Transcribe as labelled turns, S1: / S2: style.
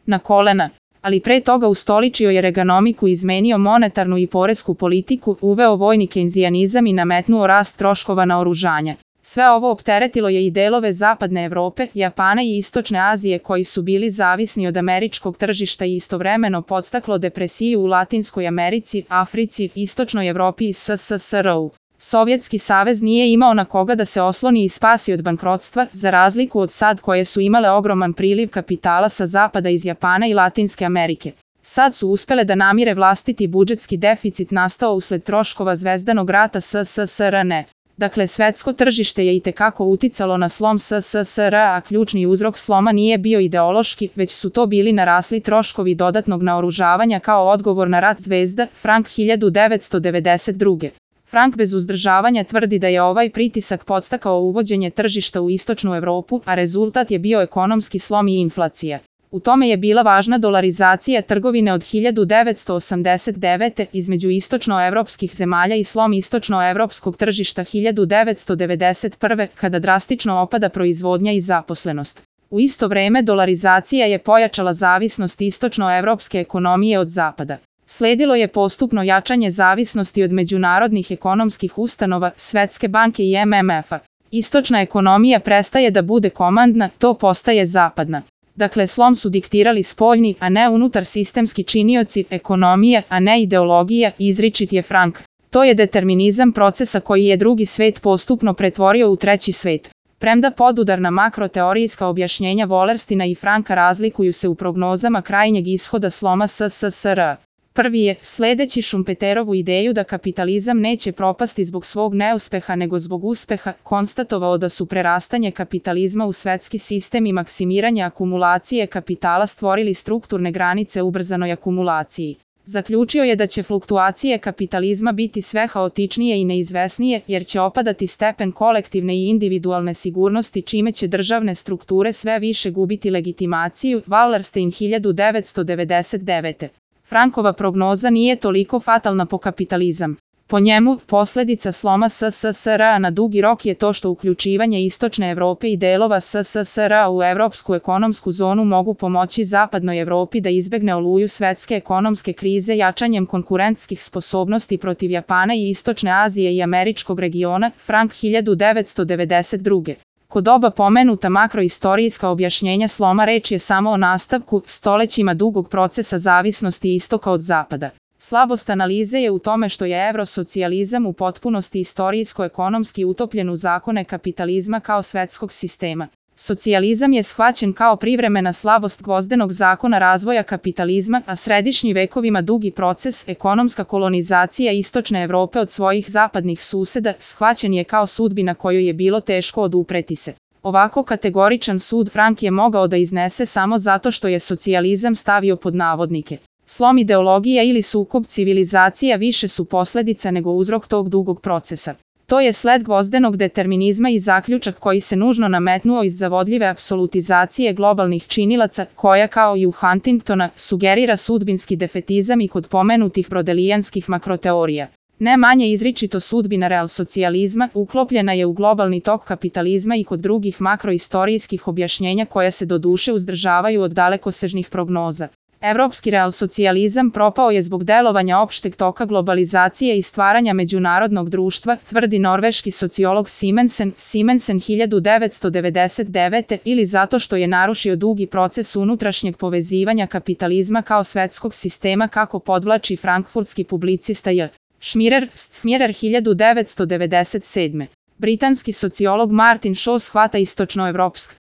S1: na kolena. Ali pre toga ustoličio je Reaganomiku i izmenio monetarnu i poresku politiku, uveo vojni kejnzijanizam i nametnuo rast troškova naoružanja. Sve ovo opteretilo je i delove Zapadne Evrope, Japana i Istočne Azije koji su bili zavisni od američkog tržišta i istovremeno podstaklo depresiju u Latinskoj Americi, Africi, Istočnoj Evropi i SSSR-u. Sovjetski savez nije imao na koga da se osloni i spasi od bankrotstva, za razliku od SAD koje su imale ogroman priliv kapitala sa zapada iz Japana i Latinske Amerike. SAD su uspele da namire vlastiti budžetski deficit nastao usled troškova Zvezdanog rata SSSR-ne. Dakle, svetsko tržište je itekako uticalo na slom SSSR, a ključni uzrok sloma nije bio ideološki, već su to bili narasli troškovi dodatnog naoružavanja kao odgovor na rat zvezda, Frank 1992. Frank bez uzdržavanja tvrdi da je ovaj pritisak podstakao uvođenje tržišta u istočnu Evropu, a rezultat je bio ekonomski slom i inflacija. U tome je bila važna dolarizacija trgovine od 1989. između istočnoevropskih zemalja i slom istočnoevropskog tržišta 1991. kada drastično opada proizvodnja i zaposlenost. U isto vreme dolarizacija je pojačala zavisnost istočnoevropske ekonomije od zapada. Sledilo je postupno jačanje zavisnosti od međunarodnih ekonomskih ustanova, Svetske banke i MMF-a. Istočna ekonomija prestaje da bude komandna, to postaje zapadna. Dakle, slom su diktirali spoljni, a ne unutar sistemski činioci, ekonomija, a ne ideologija, izričit je Frank. To je determinizam procesa koji je drugi svet postupno pretvorio u treći svet. Premda podudarna makroteorijska objašnjenja Wallerstina i Franka razlikuju se u prognozama krajnjeg ishoda sloma SSSR. Prvi je, sledeći Schumpeterovu ideju da kapitalizam neće propasti zbog svog neuspeha nego zbog uspeha, konstatovao da su prerastanje kapitalizma u svetski sistem i maksimiranje akumulacije kapitala stvorili strukturne granice ubrzanoj akumulaciji. Zaključio je da će fluktuacije kapitalizma biti sve haotičnije i neizvesnije, jer će opadati stepen kolektivne i individualne sigurnosti čime će državne strukture sve više gubiti legitimaciju, Wallerstein 1999. Frankova prognoza nije toliko fatalna po kapitalizam. Po njemu, posledica sloma SSSR-a na dugi rok je to što uključivanje Istočne Evrope i delova SSSR-a u evropsku ekonomsku zonu mogu pomoći Zapadnoj Evropi da izbegne oluju svetske ekonomske krize jačanjem konkurentskih sposobnosti protiv Japana i Istočne Azije i američkog regiona, Frank 1992. Kod oba pomenuta makroistorijska objašnjenja sloma reč je samo o nastavku stolećima dugog procesa zavisnosti istoka od zapada. Slabost analize je u tome što je evrosocijalizam u potpunosti istorijsko-ekonomski utopljen u zakone kapitalizma kao svetskog sistema. Socijalizam je shvaćen kao privremena slabost gvozdenog zakona razvoja kapitalizma, a središnji vekovima dugi proces, ekonomska kolonizacija Istočne Evrope od svojih zapadnih suseda, shvaćen je kao sudbina kojoj je bilo teško odupreti se. Ovako kategoričan sud Frank je mogao da iznese samo zato što je socijalizam stavio pod navodnike. Slom ideologija ili sukob civilizacija više su posledica nego uzrok tog dugog procesa. To je sled gvozdenog determinizma i zaključak koji se nužno nametnuo iz zavodljive apsolutizacije globalnih činilaca, koja kao i u Huntingtona sugerira sudbinski defetizam i kod pomenutih brodelijanskih makroteorija. Ne manje izričito sudbina realsocijalizma uklopljena je u globalni tok kapitalizma i kod drugih makroistorijskih objašnjenja koja se doduše uzdržavaju od dalekosežnih prognoza. Evropski realsocijalizam propao je zbog delovanja opšteg toka globalizacije i stvaranja međunarodnog društva, tvrdi norveški sociolog Simensen 1999. ili zato što je narušio dugi proces unutrašnjeg povezivanja kapitalizma kao svetskog sistema kako podvlači frankfurtski publicista J. Schmirer 1997. Britanski sociolog Martin Shaw shvata istočnoevropsk